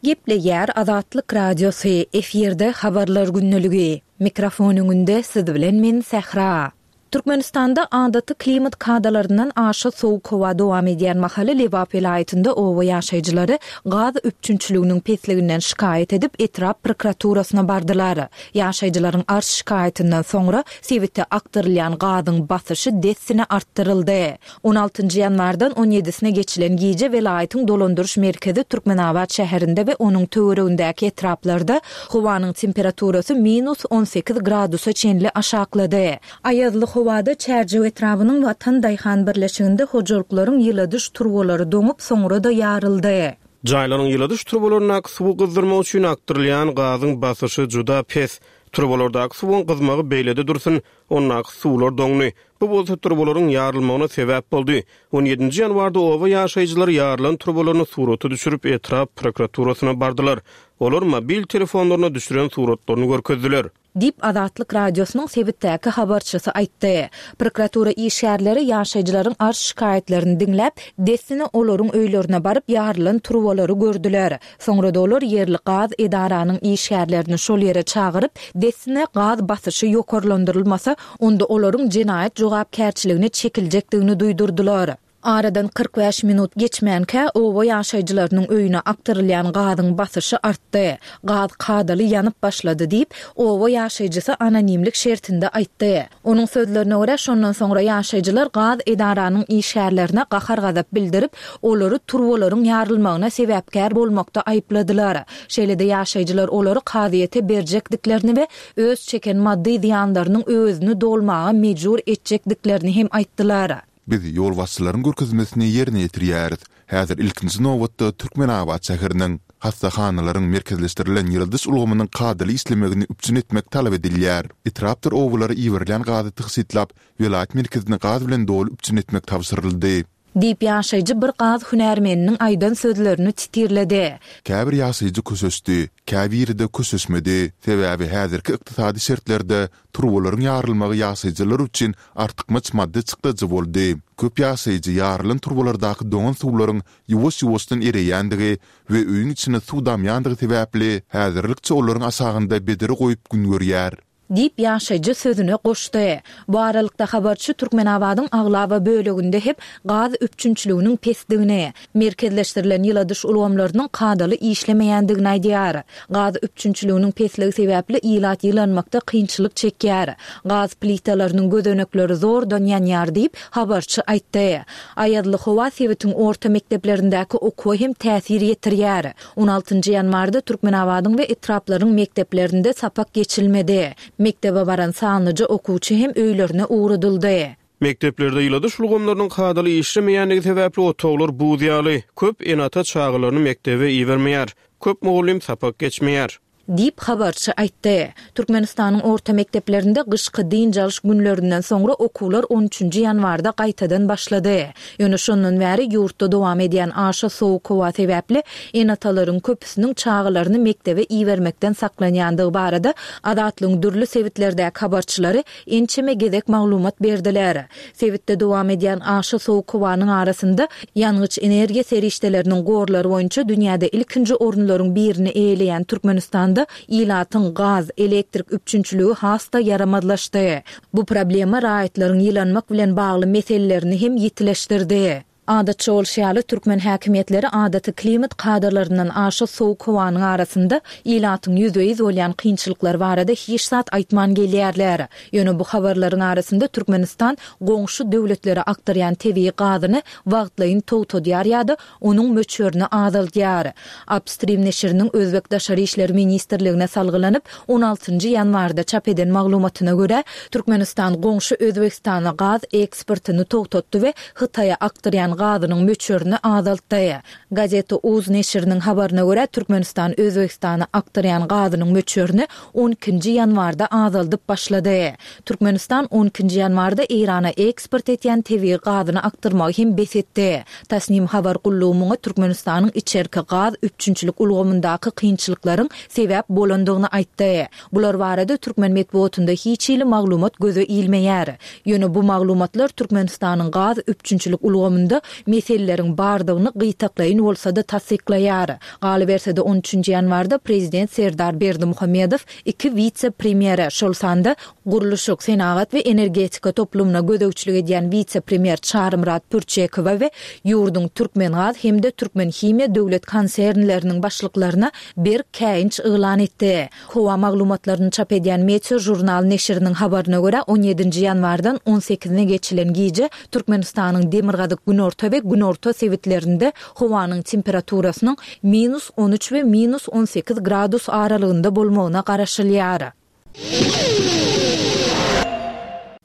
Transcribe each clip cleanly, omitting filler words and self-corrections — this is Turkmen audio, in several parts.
Gepleýär Azatlyk Radiosy, efirde Habarlar gündeligi. Mikrofon öňünde siz bilen men Sähra. Türkmenistanda adaty klimat kadalaryndan aşa sowuk howa dowam edýän mahaly Lebap welaýatynda oba ýaşaýjylary gaz üpjünçiliginiň pesliginden şikaýat edip etrap prokuraturasyna bardylar. Ýaşaýjylaryň arz-şikaýatyndan soňra sebite akdyrylýan gazyň basyşy dessine artdyryldy. On altynjy ýanwardan on ýedisine geçilen gije welaýatyň dolandyryş merkezi Türkmenabat şäherinde we onuň töweregindäki etraplarda howanyň temperaturasy minus 18 gradusa çenli aşaklady. Aýazly howada Çärjew etrabynyň Watan daýhan birleşiginde hojalyklaryň ýyladyş turbalary doňup, soňra-da ýaryldy. Jaýlaryň ýyladyş turbalaryndaky suwy gyzdyrmak üçin akdyrylýan gazyň basyşy juda pes. Turbalardaky suwuň gyzmagy beýlede dursun, ondaky suwlar doňdy. Bu bolsa turbalaryň ýarylmagyna sebäp boldy. On ýedinji ýanwarda oba ýaşaýjylary ýarylan turbalaryny surata düşürip, etrap prokuraturasyna bardylar. Olar mobil telefonlaryna düşüren suratlaryny görkezdiler. Diýip, Azatlyk Radiosynyň sebitdäki habarçysy aýtdy. Prokuratura işgärleri ýaşaýjylaryň arz-şikaýatlaryny diňläp, dessine olaryň öýlerine baryp, ýarylan turbalary gördüler. Soňra-da olar ýerli gaz edaranyň işgärlerini şol ýere çagyryp, dessine gaz basyşy ýokarlandyrylmasa, onda olaryň jenaýat jogapkärçiligine çekiljekdigini duýdurdylar. Aradan 45 minut geçmänkä, oba ýaşaýjylarynyň öýüne akdyrylýan gazyň basyşy artdy. Gaz kadaly ýanyp başlady diýip, oba ýaşaýjysy anonimlik şertinde aýtdy. Onuň sözlerine görä, şondan soňra ýaşaýjylar gaz edaranyň işgärlerine gahar-gazap bildirip, olary turbalaryň ýarylmagyna sebäpkär bolmakda aýypladylar. Şeýle-de ýaşaýjylar olary kazyýete berjekdiklerini we öz çeken maddy zyýanlarynyň öwezini dolmaga mejbur etjekdiklerini hem aýtdylar. Biz ýolbaşçylaryň görkezmesini ýerine ýetirýäris. Häzir ilkinji nobatda Türkmenabat şäheriniň, hassahanalaryň merkezleşdirilen ýyladyş ulgamynyň kadaly işlemegini üpjün etmek talap edilýär. Etrapdyr obalara iberilýän gazy tygşytlap, welaýat merkezini gaz bilen doly üpjün etmek tabşyryldy. Diýip, ýaşaýjy bir gaz hünärmeniniň aýdan sözlerini titirledi. Käbir ýaşaýjy köşeşdi, käbiri-de köşeşmedi. Sebäbi häzirki ykdysady şertlerde turbalaryň ýarylmagy ýaşaýjylar üçin artykmaç maddy çykdajy boldy. Köp ýaşaýjy ýarylan turbalardaky doňan suwlaryň ýuwaş-ýuwaşdan ereýändigi we öýüň içine suw damýandygy sebäpli, häzirlikçe olaryň aşagynda bedre goýup gün görýär. Diýip, ýaşaýjy sözüne goşdy. Bu aralykda, habarçy Türkmenabadyň aglaba böleginde hem gaz üpjünçiliginiň pesdigini, merkezleşdirilen ýyladyş ulgamlarynyň kadaly işlemeýändigini aýdýar. Gaz üpjünçiliginiň pesligi sebäpli ilat ýylanmakda kynçylyk çekýär. Gaz plitalarynyň gözenekleri zordan ýanýar diýip, habarçy aýtdy. Aýazly howa sebitiň orta mekdeplerindäki okuwa hem täsir ýetirýär. On altynjy ýanwarda Türkmenabadyň we etraplaryň mekdeplerinde sapak geçilmedi. Mekdebe baran sanlyja okuwçy hem öýlerine ugradyldy. Mekdeplerde ýyladyş ulgamlarynyň kadaly işlemeýändigi sebäpli otaglar buz ýaly. Köp ene-ata çagalaryny mekdebe ibermeýär. Köp mugallym sapak geçmeýär. Diýip, habarçy aýtdy. Türkmenistanyň orta mekdeplerinde gyşky dynç alyş günlerinden soňra okuwlar on üçünji ýanwarda gaýtadan başlady. Ýöne şondan bäri ýurtda dowam edýän aşa sowuk howa sebäpli ene-atalaryň köpüsiniň çagalaryny mekdebe ibermekden saklanýandygy barada Azatlygyň dürli sebitlerdäki habarçylary ençeme gezek maglumat berdiler. Sebitde dowam edýän aşa sowuk howanyň arasynda ýangyç-energiýa serişdeleriniň gorlary boýunça dünýäde ilkinji orunlaryň birini eýeleýän Türkmenistanda ilatyň gaz, elektrik üpjünçiligi has-da ýaramazlaşdy. Bu problema raýatlaryň ýylanmak bilen bagly meselelerini hem ýitileşdirdi. Adatça bolşy ýaly, türkmen häkimiýetleri adaty klimat kadalaryndan aşa sowuk howanyň arasynda ilatyň ýüzbe-ýüz bolýan kynçylyklary barada hiç zat aýtman gelýärler. Ýöne bu habarlaryň arasynda Türkmenistan goňşy döwletlere akdyrýan tebigy gazyny wagtlaýyn togtadýar ýa-da onuň möçberini azaldýar. Upstream neşiriniň özbek Daşary işler ministrligine salgylanyp, on altynjy ýanwarda çap eden maglumatyna görä, Türkmenistan goňşy Özbegistana gaz eksportyny togtatdy we Hytaýa akdyrýan gazynyň möçberini azaltdy. Gazeta uz neşiriniň habaryna görä, Türkmenistan Özbegistana akdyrýan gazynyň möçberini on ikinji ýanwarda azaldyp başlady. Türkmenistan on ikinji ýanwarda Eýrana eksport etýän tebigy gazyny akdyrmagy hem bes etdi. Tasnim habar gullugy muňa Türkmenistanyň içerki gaz üpjünçilik ulgamyndaky kynçylyklaryň sebäp bolandygyny aýtdy. Bular barada türkmen metbugatynda hiç hili maglumat göze ilmeýär. Ýöne bu maglumatlar Türkmenistanyň gaz üpjünçilik ulgamynda meseleleriň bardygyny gytaklaýyn bolsa-da tassyklaýar. Galyberse-de, on üçünji ýanwarda prezident Serdar Berdimuhamedow iki wise-premýere, şol sanda gurluşyk, senagat we energetika toplumyna gözegçilik edýän wise-premýer Çarymyrat Pürçekowa we ýurduň Türkmengaz hem-de Türkmenhimiýa döwlet konsernleriniň başlyklaryna berk käýinç yglan etdi. Howa maglumatlaryny çap edýän Meteo Žurnal neşiriniň habaryna görä, on ýedinji ýanwardan on sekizine geçilen gije Türkmenistanyň demirgazyk-günorta we günorta sebitlerinde howanyň temperaturasynyň minus 13 we minus 18 gradus aralygynda bolmagyna garaşylýar.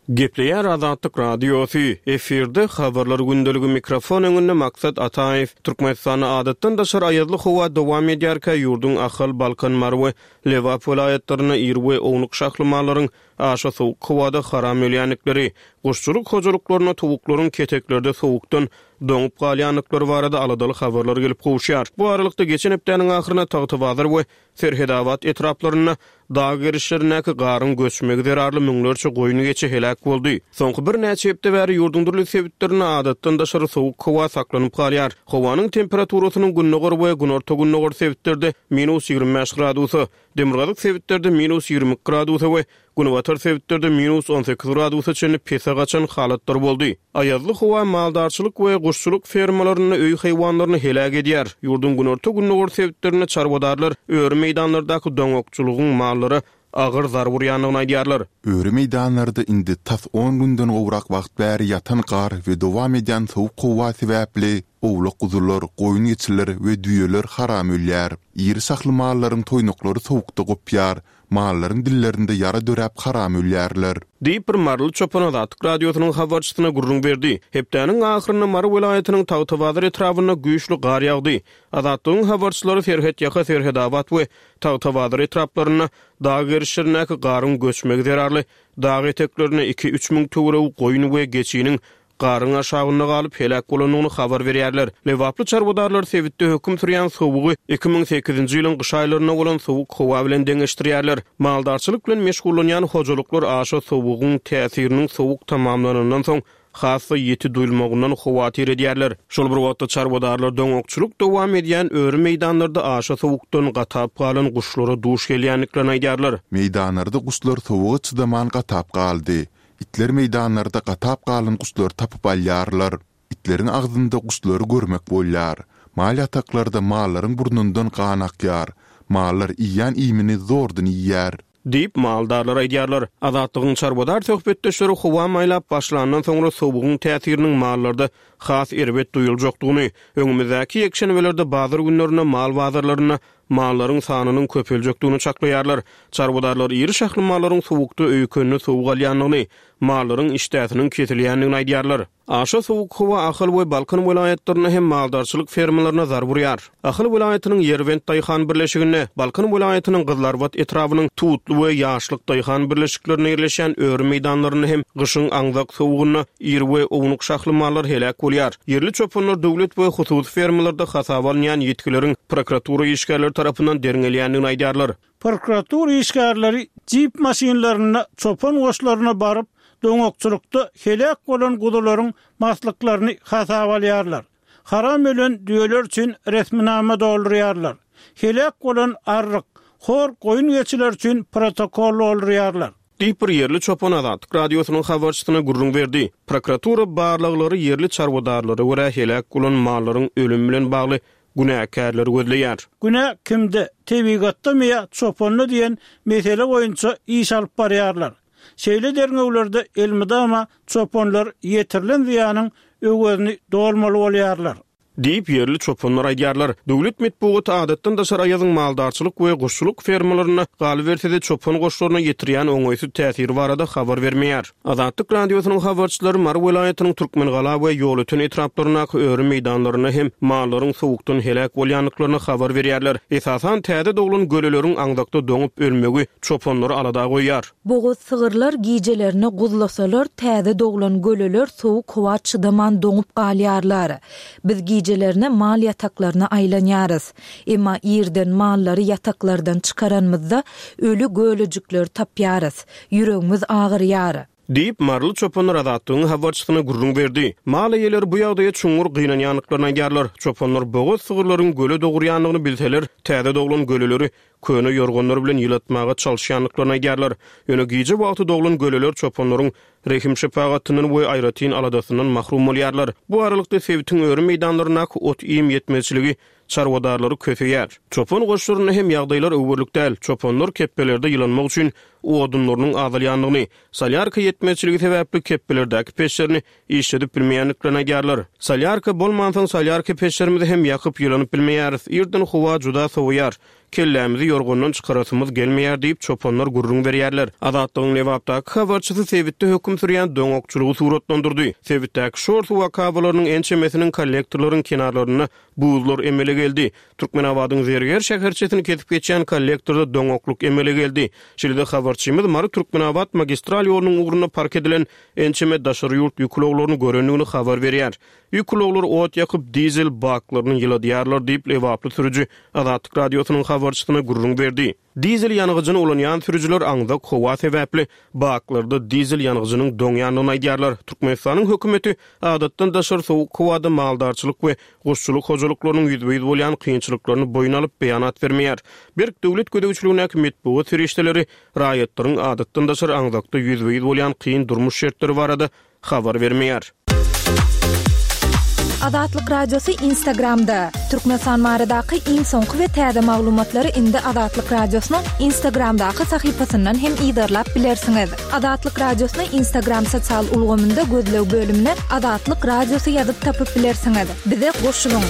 Gepleýär Azatlyk Radiosy, efirde Habarlar gündeligi mikrofon öňünde Maksat Ataýew. Türkmenistanda adatdan daşary aýazly howa dowam edýärkä ýurduň Ahal, Balkan, Mary we Lebap welaýatlarynda iri we ownuk şahly mallaryň aşa sowuk howada haram ölýändikleri, guşçulyk hojalyklarynda towuklaryň keteklerde sowukdan doňup galýandyklary barada aladaly habarlar gelip gowuşýar. Bu aralykda, geçen hepdäniň ahyrynda Tagtabazar we Serhedabat etraplarynda dag gerişlerindäki garyň göçmegi zerarly müňlerçe goýun-geçi heläk boldy. Soňky birnäçe hepde bäri ýurduň dürli sebitlerinde adatdan daşary sowuk howa saklanyp galýar. Howanyň temperaturasynyň gündogar we günorta-gündogar sebitlerde minus 25 gradusa, demirgazyk sebitlerde minus 22 gradusa we Günbatar sebitlerde minus 18 gradusa çenli pese gaçan halatlar boldy. Aýazly howa maldarçylyk we guşçulyk fermalarynda öý haýwanlaryny heläk edýär. Ýurduň günorta-gündogar sebitlerinde çarwadarlar öri meýdanlardaky doňakçylygyň mallara agyr zarba urýandygyny aýdýarlar. Öri meýdanlarda indi tas on günden gowrak wagt bäri ýatan gar we dowam edýän sowuk howa sebäpli owlak-guzular, goýun-geçiler we düýeler haram ölýär. Iri şahly mallaryň toýnaklary sowukda gopýar, Mallaryň dillerinde ýara döräp haram ölýärler. Diýip, bir maryly çopan Azatlyk Radiosynyň habarçysyna gürrüň berdi. Hepdäniň ahyrynda Mary welaýatynyň Tagtabazar etrabynda güýçli gar ýagdy. Azatlygyň habarçylary serhetýaka Serhedabat we Tagtabazar etraplarynda dag gerişlerindäki garyň göçmegi zerarly dag eteklerinde iki-üç müň töweregi goýun we geçiniň garyň aşagynda galyp heläk bolandygyny habar berýärler. Lebaply çarwadarlar sebitde höküm sürýän sowugy 2008-nji ýylyň gyş aýlarynda bolan sowuk howa bilen deňeşdirýärler. Maldarçylyk bilen meşgullanýan hojalyklar aşa sowugyň täsiriniň sowuk tamamlanandan soň has-da ýiti duýulmagyndan howatyr edýärler. Şol bir wagtda çarwadarlar doňakçylyk dowam edýän öri meýdanlarda aşa sowukdan gatap galan guşlara duş gelýändiklerini aýdýarlar. Meýdanlarda guşlar sowuga çydaman gatap galdy. Itler meýdanlarda gatap galan guşlary tapyp alýarlar. Itleriň agzynda guşlary görmek bolýar. Mal ýataklarda mallaryň burnundan gan akýar. Mallar iýýän iýmini zordan iýýär. Diýip, maldarlar aýdýarlar. Azatlygyň çarwadar söhbetdeşleri howa maýlap başlandan soňra sowugyň täsiriniň mallarda has erbet duýuljakdygyny, öňümizdäki ýekşenbelerde bazar günlerinde mal bazarlarynda mallaryň sanynyň köpeljekdigini çaklaýarlar. Çarwadarlar iri şahly mallaryň sowukda öýkenine sowuk alýandygyny, mallaryň işdäsiniň kesilýändigini aýdýarlar. Aşa sowuk howa Ahal we Balkan welaýatlarynda hem maldarçylyk fermalaryna zarba urýar. Ahal welaýatynyň Ýerbent daýhan birleşiginde, Balkan welaýatynyň Gyzylarbat etrabynyň Tutly we Ýaşlyk daýhan birleşiklerinde ýerleşýän öri meýdanlarynda hem gyşyň aňzak sowugynda Iri we ownuk şahly mallar heläk bolýar. Ýerli çopanlar döwlet we hususy fermalarda hasaba alynýan ýitgileriň prokuratura işgärleri tarapyndan derňelýändigini aýdýarlar. Prokuratura işgärleri jip maşynlarynda çopan goşlaryna baryp, doňakçylykda heläk bolan guzularyň maslyklaryny hasaba alýarlar. Haram ölen düýeler üçin resminama doldurýarlar. Heläk bolan arryk, hor goýun-geçiler üçin protokol doldurýarlar. Diýip, bir ýerli çopan Azatlyk Radiosynyň habarçysyna gürrüň berdi. Prokuratura barlaglary ýerli çarwadarlara görä heläk bolan mallaryň ölümi bilen bagly günäkärleri gözleýär. Günä kimde, tebigatdamy ýa çopanda diýen mesele boýunça iş alyp barýarlar. Şeýle derňewlerde elmydama çopanlar ýetirilen zyýanyň öwezini dolmaly bolýarlar. Diýip, ýerli çopanlar aýdýarlar. Döwlet metbugaty adatdan daşary aýazyň maldarçylyk we guşçulyk fermalarynda, galyberse-de, çopan goşlaryna ýetirýän oňaýsyz täsiri barada habar bermeýär. Azatlyk Radiosynyň habarçylary Mary welaýatynyň Türkmengala we Ýolöten etraplaryndaky öri meýdanlarynda hem mallaryň sowukdan heläk bolýandyklaryny habar berýärler. Esasan, täze doglan göleleriň aňzakda doňup ölmegi çopanlary alada goýýar. Bogaz sygyrlar gijelerine guzlasalar, täze doglan göleler sowuk howa çydaman doňup galýarlar. Biz gijelerine mal ýataklaryna aýlanýarys. Emma irden mallary ýataklardan çykaranymyzda, öli gölejikleri tapýarys. Ýüregimiz agyrýar. Diýip, maryly çopanlar Azatlygyň habarçysyna gürrüň berdi. Mal eýeleri bu ýagdaýa çuňňur gynanýandyklaryny aýdýarlar. Çopanlar bogaz sygyrlaryň göle dogurýandygyny bilseler, täze doglan göleleri köne ýorganlar bilen ýylatmaga çalyşýandyklaryny aýdýarlar. Ýöne gije wagty doglan göleler çopanlaryň rehim-şepagatyndan we aýratyn aladasyndan mahrum bolýarlar. Bu aralykda, sebitiň öri meýdanlaryndaky ot-iým ýetmezçiligi çarwadarlary köseýär. Çopan goşlarynda hem ýagdaýlar öwerlik däl. Çopanlar kepbelerde ýylanmak üçin odunlarynyň azalýandygyny, solýarka ýetmezçiligi sebäpli kepbelerdäki peçlerini işledip bilmeýändiklerini aýdýarlar. Solýarka bolmansoň solýarka peçlerimizi hem ýakyp ýylanyp bilmeýäris. Irden howa juda sowaýar. Kellämizi ýorgandan çykarasymyz gelmeýär diýip, çopanlar gürrüň berýärler. Azatlygyň Lebapdaky habarçysy sebitde höküm sürýän doňakçylygy suratlandyrdy. Sebitdäki şor suw akabalarynyň ençemesiniň kollektorlaryň kenarlarynda buzlar emele geldi. Türkmenabadyň Zerger şäherçesini kesip geçýän kollektorda doňaklyk emele geldi. Şeýle-de habarçymyz Mary-Türkmenabat magistral ýolunyň ugrunda park edilen ençeme daşary ýurt ýük ulaglaryny görendigini habar berýär. Ýük ulaglary ot ýakyp, dizel baklaryny ýyladýarlar diýip, lebaply sürüji Azatlyk Radiosynyň habarçysyna gürrüň berdi. Dizel ýangyjyny ulanýan sürüjiler aňzak howa sebäpli baklarda dizel ýangyjynyň doňýandygyny aýdýarlar. Türkmenistanyň hökümeti adatdan daşary sowuk howada maldarçylyk we guşçulyk hojalyklarynyň ýüzbe-ýüz bolýan kynçylyklaryny boýun alyp, beýanat bermeýär. Berk döwlet gözegçiligindäki metbugat serişdeleri raýatlaryň adatdan daşary aňzakda ýüzbe-ýüz bolýan kyn durmuş şertleri barada habar bermeýär. Azatlyk Radiosy Instagramda, Türkmenistan baradaky iň soňky we täze maglumatlary indi Azatlyk Radiosynyň Instagramdaky sahypasyndan hem yzarlap bilersiňiz. Azatlyk Radiosyny Instagram sosial ulgamynda gözleg bölümine Azatlyk Radiosy ýazyp tapyp bilersiňiz. Bize goşulyň!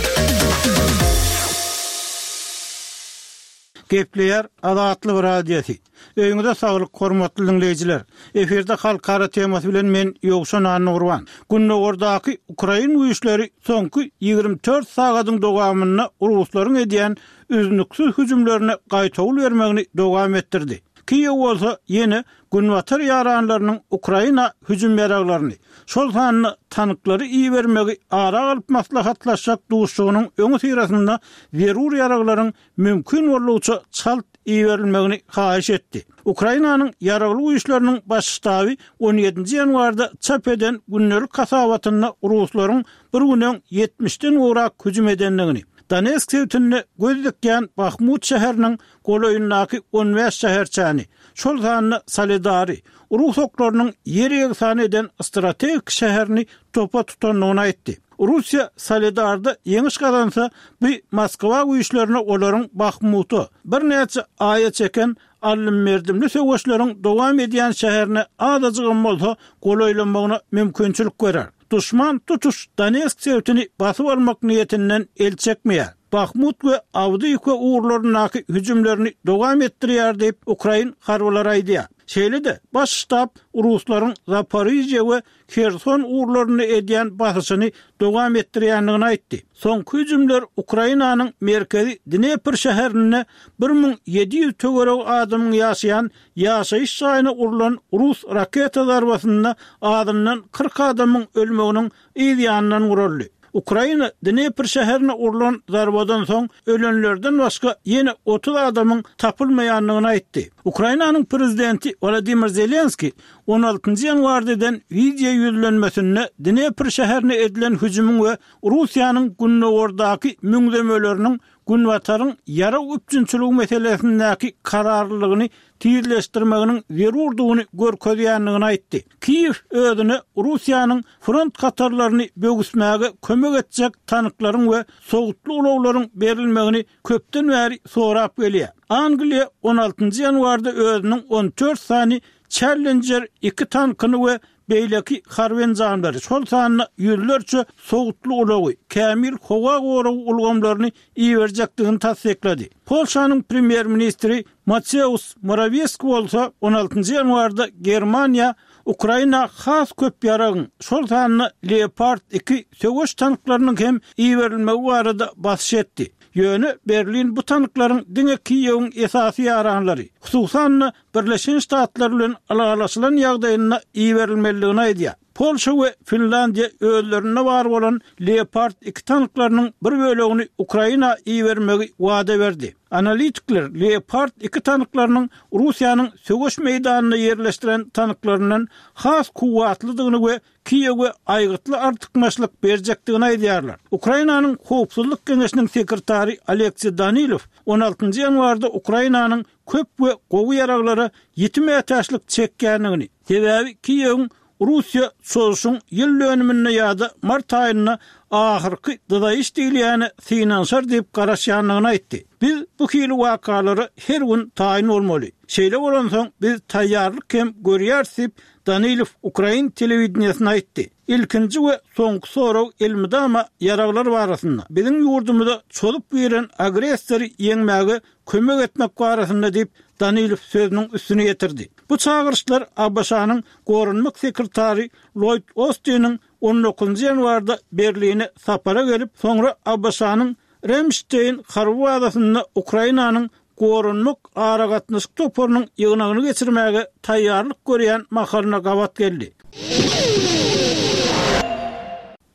Gepleýär Azatlyk Radiosy. Öýüňize saglyk, hormatly diňleýjiler! Efirde Halkara temasy bilen men Ýowşan Annagurban. Gündogardaky ukrain güýçleri soňky 24 sagadyň dowamynda ruslaryň edýän üznüksiz hüjümlerine gaýtawul bermegini dowam etdirdi. Kiýew bolsa ýene günbatar ýaranlarynyň Ukraina hüjüm ýaraglaryny, şol sanda tanklary ibermegi ara alyp maslahatlaşjak duşuşygynyň öňüsyrasynda zerur ýaraglaryň mümkin boldugyça çalt iberilmegini haýyş etdi. Ukrainanyň Ýaragly Güýçleriniň Baş ştaby on ýedinji ýanwarda çap eden gündelik hasabatynda ruslaryň bir gün öň ýetmişden gowrak hüjüm edendigini, Donetsk sebitinde göz dikýän Bahmut şäheriniň golaýyndaky on bäş şäherçäni, şol sanda Soledary, rus oklarynyň ýer-ýegsan eden strategik şäherini topa tutandygyny aýtdy. Russiýa Soledarda ýeňiş gazansa, bu Moskwa güýçlerine olaryň Bahmuta, birnäçe aýa çeken aldym-berdimli söweşleriň dowam edýän şäherine azajygam bolsa golaýlamagyna mümkinçilik berer. Duşman tutuş Donetsk sebitini basyp almak niýetinden el çekmeýär. Bahmut we Awdiýiwka ugurlaryndaky hüjümlerini dowam etdirýär diýip, ukrain harbylary aýdýar. Şeýle-de, Baş ştab ruslaryň Zaporižýe we Herson ugurlarynda edýän basyşyny dowam etdirýändigini aýtdy. Soňky hüjümler Ukrainanyň merkezi Dnepr şäherinde 1700 töweregi adamyň ýaşaýan ýaşaýyş jaýyna urlan rus raketa zarbasynda azyndan 40 adamyň ölmeginiň yz ýanyndan guraldy. Ukraina Dnepr şäherine urlan zarbadan soň ölenlerden başga ýene 30 adamyň tapylmaýandygyny aýtdy. Ukrainanyň prezidenti Wolodymyr Zelenskiý on altynjy ýanwarda eden wideo ýüzlenmesinde Dnepr şäherine edilen hüjümiň we Russiýanyň gündogardaky müňzemeleriniň Günbataryň ýarag üpjünçiligi meselesindäki kararlylygyny tizleşdirmeginiň zerurdygyny görkezýändigini aýtdy. Kiýew özüne Russiýanyň front hatarlaryny böwüsmäge kömek etjek tanklaryň we sowutly ulaglaryň berilmegini köpden bäri sorap gelýär. Angliýa on altynjy ýanwarda özüniň on dört sany Challenger iki tankyny we beýleki harby enjamlary, şol sanda ýüzlerçe sowutly ulagy, kämil howa goragy ulgamlaryny iberjekdigini tassyklady. Polşanyň premýer-ministri Mateusz Morawiecki bolsa on altynjy ýanwarda Germaniýa Ukraina has köp ýaragyň, şol sanda Leopard iki söweş tanklarynyň hem iberilmegi barada basyş etdi. Ýöne Berlin bu tanklaryň diňe Kiýewiň esasy ýaranlary, hususan-da, Birleşen Ştatlar bilen ylalaşylan ýagdaýynda iberilmelidigini aýdýar. Polşa we Finlandiýa özlerinde bar bolan Leopard iki tanklarynyň bir bölegini Ukraina ibermegi wada berdi. Analitikler Leopard iki tanklarynyň Russiýanyň söweş meýdanynda ýerleşdiren tanklaryndan has kuwwatlydygyny we Kiýewe aýgytly artykmaçlyk berjekdigini aýdýarlar. Ukrainanyň Howpsuzlyk geňeşiniň sekretary Oleksiý Danilow on altynjy ýanwarda Ukrainanyň köp we gowy ýaraglara ýiti mätäçlik çekýändigini, sebäbi Kiýewiň Russiýa çozuşyň ýyl dönüminde ýa-da mart aýynda ahyrky dyzaýyş diýilýäne synanyşar diýip garaşýandygyny aýtdy. Biz bu hili wakalara her gün taýyn bolmaly. Şeýle bolansoň, biz taýýarlyk hem görýäris diýip, Danilow ukrain telewideniýesine aýtdy. Ilkinji we soňky sorag elmydama ýaraglar barasynda, biziň ýurdumyza çozup giren agressory ýeňmäge kömek etmek barasynda diýip, Danilow sözüniň üstüni ýetirdi. Bu çagyryşlar ABŞ-nyň goranmak sekretary Lloýd Ostiniň on dokuzynjy ýanwarda Berline sapara gelip, soňra ABŞ-nyň Ramşteýn harby bazasynda Ukrainanyň Goranmak aragatnaşyk toparynyň ýygnagyny geçirmäge taýýarlyk görýän mahalyna gabat geldi.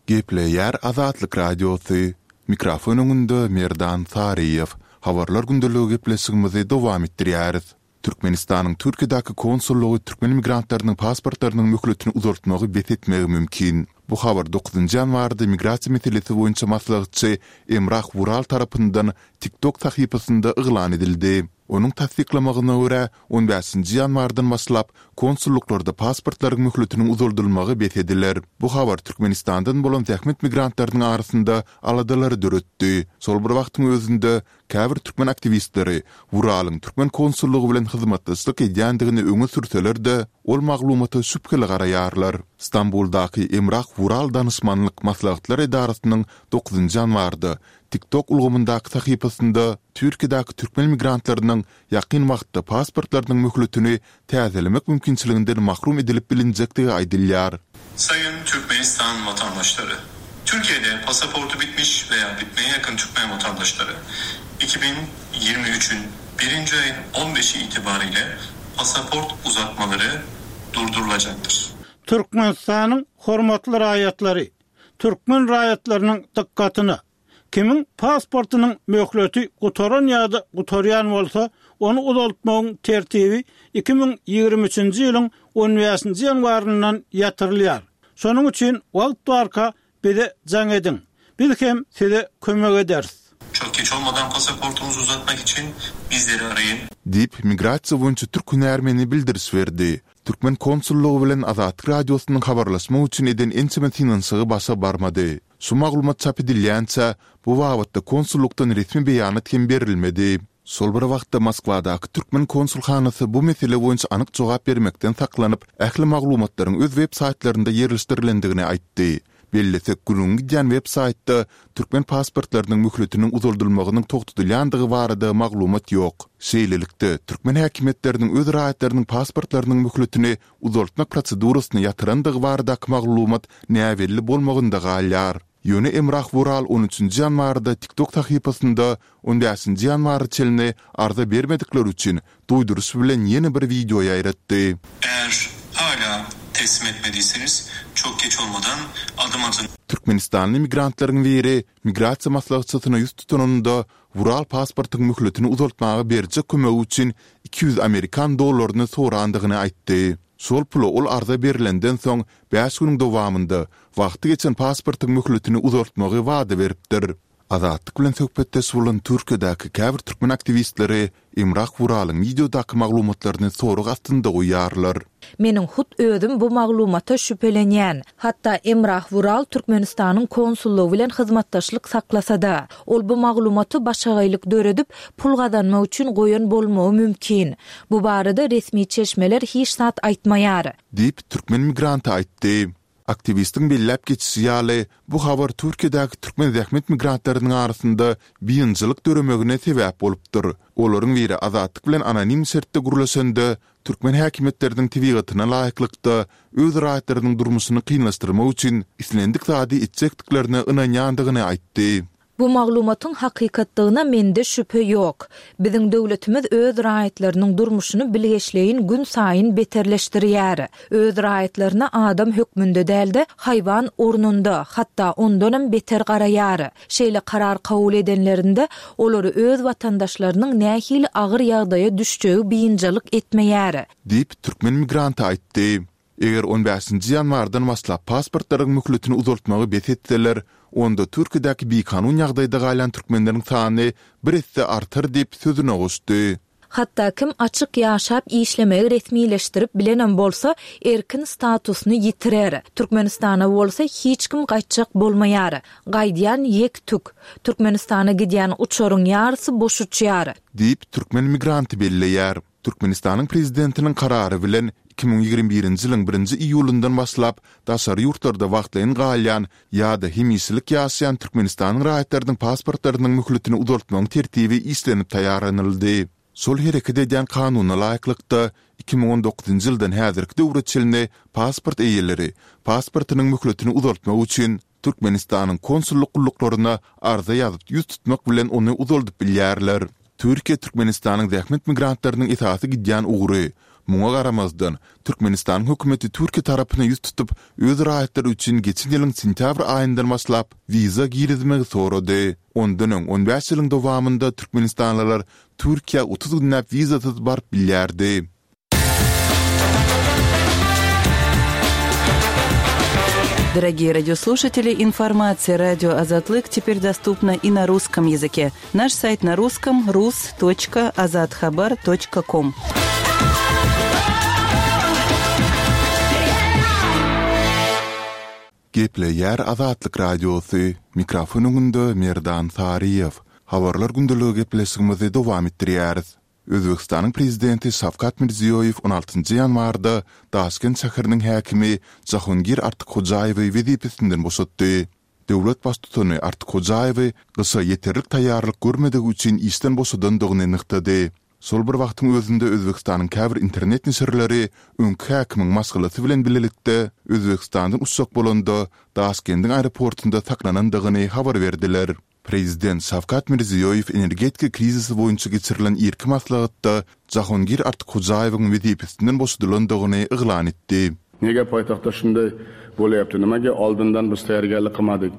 Gepleýär Azatlyk Radiosy, Mikrofon öňünde Merdan Saryýew. Habarlar gündeligi gepleşigimizi dowam etdirýäris. Türkmenistanyň Türkiýedäki konsullygy türkmen migrantlarynyň pasportlarynyň möhletini uzaltmagy bes etmegi mümkin. Bu habar dokuzynjy ýanwarda migrasiýa meselesi boýunça maslahatçy Emrah Wural tarapyndan TikTok sahypasynda yglan edildi. Onuň tassyklamagyna görä, on bäşinji ýanwardan başlap, konsullyklarda pasportlaryň möhletiniň uzaldylmagy bes ediler. Bu habar Türkmenistandan bolan zähmet migrantlarynyň arasynda aladalary döretdi. Şol bir wagtyň özünde, käbir türkmen aktiwistleri Wuralyň türkmen konsullygy bilen hyzmatdaşlyk edýändigini öňe sürseler-de, ol maglumata şübheli garaýarlar. Stambuldaky Emrah Wural danyşmanlyk maslahatlar edarasynyň dokuzynjy ýanwarda TikTok ulgamyndaky sahypasynda Türkiýedäki türkmen migrantlarynyň ýakyn wagtda pasportlarynyň möhletini täzelemek mümkinçiliginden mahrum edilip bilinjekdigi aýdylýar. Sayın Türkmenistan vatandaşları! Türkiye'de pasaportu bitmiş veya bitmeye yakın Türkmen vatandaşları 2023'ün birinci ayın 15'i itibariyle pasaport uzatmaları durdurulacaktır. Türkmenistanyň hormatly raýatlary! Türkmen raýatlarynyň dykgatyna! Kimiň pasportynyň möhleti gutaran ýa-da gutarýan bolsa, ony uzaltmagyň tertibi 2023-nji ýylyň on bäşinji ýanwaryndan ýatyrylýar. Şonuň üçin wagt barka bize jaň ediň. Biz hem size kömek ederis. Çok geç olmadan pasaportunuzu uzatmak için bizleri arayın. Diýip, migrasiýa boýunça türk hünärmeni bildiriş berdi. Türkmen konsullygy bilen Azatlyk Radiosynyň habarlaşmak üçin eden ençeme synanyşygy başa barmady. Şu maglumat çap edilýänçä, bu babatda konsullykdan resmi beýanat hem berilmedi. Şol bir wagtda Moskwadaky türkmen konsulhanasy bu mesele boýunça anyk jogap bermekden saklanyp, ähli maglumatlaryň öz web saýtlarynda ýerleşdirilendigini aýtdy. Bellesek, gürrüňi gidýän web saýtda türkmen pasportlarynyň möhletiniň uzaldylmagynyň togtadylýandygy barada maglumat ýok. Şeýlelikde, türkmen häkimiýetleriniň öz raýatlarynyň pasportlarynyň möhletini uzaltmak prosedurasyny ýatyrandygy baradaky maglumat näbelli bolmagynda galýar. Ýöne Emrah Wural on üçünji ýanwarda TikTok sahypasynda on bäşinji ýanwara çenli arza bermedikler üçin duýduryş bilen ýene bir wideo ýaýratdy. Eğer hala teslim etmediyseniz çok geç olmadan adım atın. Türkmenistanly migrantlaryň biri migrasiýa maslahatçysyna ýüz tutanynda, Wural pasportyň möhletini uzaltmaga berjek kömegi üçin 200 amerikan dollaryny sorandygyny aýtdy. Şol pula ol arza berlenden soň bäş günüň dowamynda wagty geçen pasportyň möhletini uzaltmagy wada beripdir. Azatlyk bilen söhbetdeş bolan Türkiýedäki käbir türkmen aktiwistleri Emrah Wuralyň wideodaky maglumatlaryny sorag astynda goýýarlar. Meniň hut özüm bu maglumata şübhelenýän. Hatda Emrah Wural Türkmenistanyň konsullygy bilen hyzmatdaşlyk saklasa-da. Ol bu maglumaty başagaýlyk döredip, pul gazanmak üçin goýan bolmagy mümkin. Bu barada resmi çeşmeler hiç zat aýtmaýar. Diýip, türkmen migranty aýtdy. Aktiwistiň belläp geçişi ýaly, bu habar Türkiýedäki türkmen zähmet migrantlarynyň arasynda biynjalyk döremegine sebäp bolupdyr. Olaryň biri Azatlyk bilen anonim şertde gürleşende, türkmen häkimiýetleriniň tebigatyna laýyklykda, öz raýatlarynyň durmuşyny kynlaşdyrmak üçin islendik zady etjekdiklerine ynanýandygyny aýtdy. Bu maglumatyň hakykatdygyna mende şübhe ýok. Biziň döwletimiz öz raýatlarynyň durmuşyny bilgeşleýin günsaýyn beterleşdirýär. Öz raýatlaryna adam hökmünde däl-de, haýwan ornunda, hatda ondanam beter garaýar. Şeýle karar kabul edenlerinde, olary öz watandaşlarynyň nähili agyr ýagdaýa düşjegi biynjalyk etmeýär. Diýip, türkmen migranty aýtdy. Eger on bäşinji ýanwardan başlap pasportlaryň möhletini uzaltmagy bes etseler, onda Türkiýedäki bikanun ýagdaýda galýan türkmenleriň sany bir esse artar diýip, sözüne goşdy. Hatda kim açyk ýaşap işlemegi resmileşdirip bilenem bolsa, erkin statusyny ýitirer. Türkmenistana bolsa hiç kim gaýtjak bolmaýar. Gaýdýan ýek-tük. Türkmenistana gidýän uçaryň ýarysy boş uçýar. Diýip, türkmen migranty belleýär. Türkmenistanyň Prezidentiniň Karary bilen, 2021-nji ýylyň birinji iýulyndan başlap, daşary ýurtlarda wagtlaýyn galýan ýa-da hemişelik ýaşaýan Türkmenistanyň raýatlarynyň pasportlarynyň möhletini uzaltmagyň tertibi işlenip taýýarlanyldy. Şol hereket edýän Kanuna laýyklykda, 2019-njy ýyldan häzirki döwre çenli pasport eýeleri pasportynyň möhletini uzaltmak üçin Türkmenistanyň konsullyk gulluklaryna arza ýazyp ýüz tutmak bilen ony uzaldyp bilýärler. Türkiýe Türkmenistanyň zähmet migrantlarynyň esasy gidýän ugry. Muňa garamazdan, Türkmenistanyň hökümeti Türkiýe tarapyna ýüz tutup, öz raýatlary üçin geçen ýylyň sentýabr aýyndan başlap wiza girizmegi sorady. Ondan öň on bäş ýylyň dowamynda türkmenistanlylar Türkiýä 30 günläp wizasyz baryp bilýärdi. Дорогие радиослушатели, информация радио Азатлык теперь доступна и на русском языке. Наш сайт на русском rus.azathabar.com. Gepleýär Azatlyk Radiosy, mikrofon öňünde Merdan Saryýew. Habarlar gündeligi gepleşigimizi dowam etdirýäris. Özbegistanyň Prezidenti Şawkat Mirziýoýew on altynjy ýanwarda Daşkent şäheriniň häkimi Jahongir Artykhojaýewi wezipesinden boşatdy. Döwlet Baştutany Artykhojaýewi gyşa ýeterlik taýýarlyk görmedigi üçin işden boşadandygyny nygtady. Şol bir wagtyň özünde Özbegistanyň käbir internet neşirleri öňki häkimiň maşgalasy bilen bilelikde Özbegistandan uçjak bolanda Daşkendiň aeroportunda saklanandygyny habar berdiler. Prezident Şawkat Mirziýoýew energetika krizisi boýunça geçirilen irki maslahatda Jahongir Artykhojaýewiň wezipesinden boşadylandygyny yglan etdi. Nega paýtagtda şunday bolýapdy? Nimaga oldindan biz taýýargarlyk kylmadyk?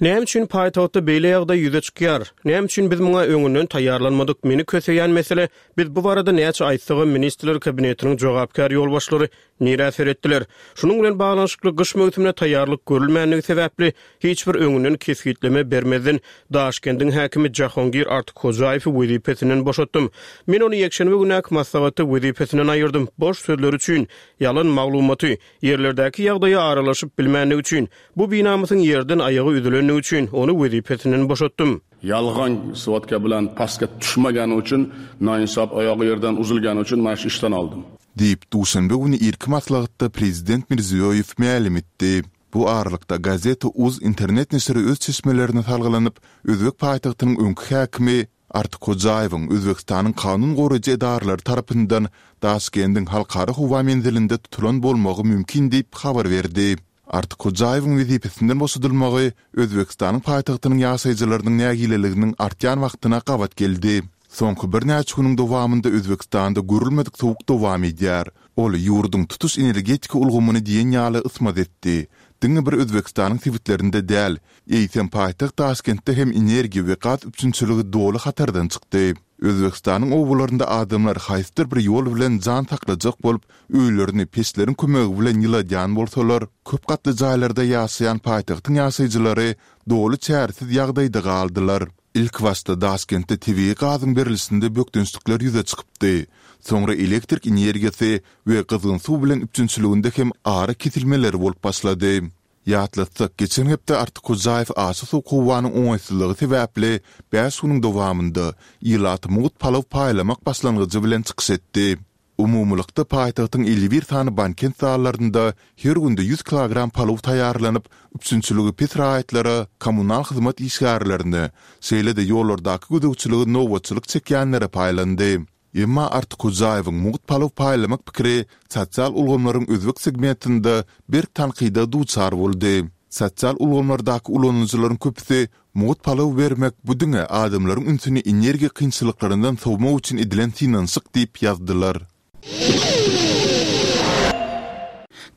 Näme üçin paýtagtda beýle ýagdaý ýüze çykýar? Näme üçin biz muňa öňünden taýýarlanmadyk? Meni köseýän mesele, biz bu barada näçe aýtsagam Ministrler Kabinetiniň jogapkär ýolbaşçylary Nirä seretdiler? Şunuň bilen baglanyşykly gyş möwsümine taýýarlyk görülmändigi sebäpli, hiç bir öňünden kesgitleme bermezden, Daşkendiň häkimi Jahongir Artykhojaýewi wezipesinden boşatdym. Men ony ýekşenbe gündäki maslahatda wezipesinden aýyrdym. Boş sözleri üçin, ýalan maglumaty, ýerlerdäki ýagdaýa aralaşyp bilmändigi üçin, bu binamysyň ýerden aýagy üzülendigi üçin, ony wezipesinden boşatdym. Ýalgan swadka bilen pastga düşmegeni üçin, naýynsap aýagy ýerden uzulgany üçin men şu işden aldym. Diýip, duşenbe güni irki maslahatda prezident Mirziýoýew mälim etdi. Bu aralykda, Gazeta uz internet neşiri öz çeşmelerine salgylanyp, özbek paýtagtynyň öňki häkimi Artykhojaýewiň Özbegistanyň kanun goraýjy edaralary tarapyndan Daşkendiň halkara howa menzilinde tutulan bolmagy mümkin diýip habar berdi. Artykhojaýewiň wezipesinden boşadylmagy Özbegistanyň paýtagtynyň ýaşaýjylarynyň nägileliginiň artýan wagtyna gabat geldi. Soňky birnäçe günüň dowamynda Özbegistanda görülmedik sowuk dowam edýär. Ol ýurduň tutuş energetika ulgamyny diýen ýaly ysmaz etdi. Diňe bir Özbegistanyň sebitlerinde däl, eýsem paýtagt Daşkentde hem energiýa we gaz üpjünçiligi doly hatardan çykdy. Özbegistanyň obalarynda adamlar haýsydyr bir ýol bilen jan saklajak bolup, öýlerini peçleriň kömegi bilen ýyladýan bolsalar, köp gatly jaýlarda ýaşaýan paýtagtyň ýaşaýjylary doly çäresiz ýagdaýda galdylar. Ilkibaşda Daşkentde tebigy gazyň berlişinde bökdençlikler ýüze çykypdy. Soňra elektrik energiýasy we gyzgyn suw bilen üpjünçiliginde hem ara kesilmeler bolup başlady. Ýatlatsak, geçen hepde Artykhojaýew aşa sowuk howanyň oňaýsyzlygy sebäpli bäş günüň dowamynda ilata mugt palaw paýlamak başlangyjy bilen çykyş etdi. Umumylykda paýtagtyň 51 sany bankent zallarynda her günde 100 kilogram palaw taýýarlanyp, üpjünçiligi pes raýatlara, kommunal hyzmat işgärlerine, şeýle-de ýollardaky gözegçiligi nobatçylyk çekýänlere paýlandy. Emma Artykhojaýewiň mugt palaw paýlamak pikiri sosial ulgamlaryň özbek segmentinde berk tankyda duçar boldy. Sosial ulgamlardaky ulanyjylaryň köpüsi mugt palaw bermek bu diňe adamlaryň ünsüni energiýa kynçylyklaryndan sowmak üçin edilen synanyşyk diýip ýazdylar.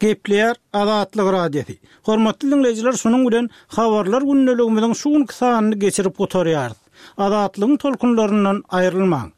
Gepleýär Azatlyk Radiosy. Hormatly diňleýjiler şunuň bilen Habarlar gündeligimiziň şu günki sanyny geçirip gutarýarys. Azatlygyň tolkunlaryndan aýrylmaň.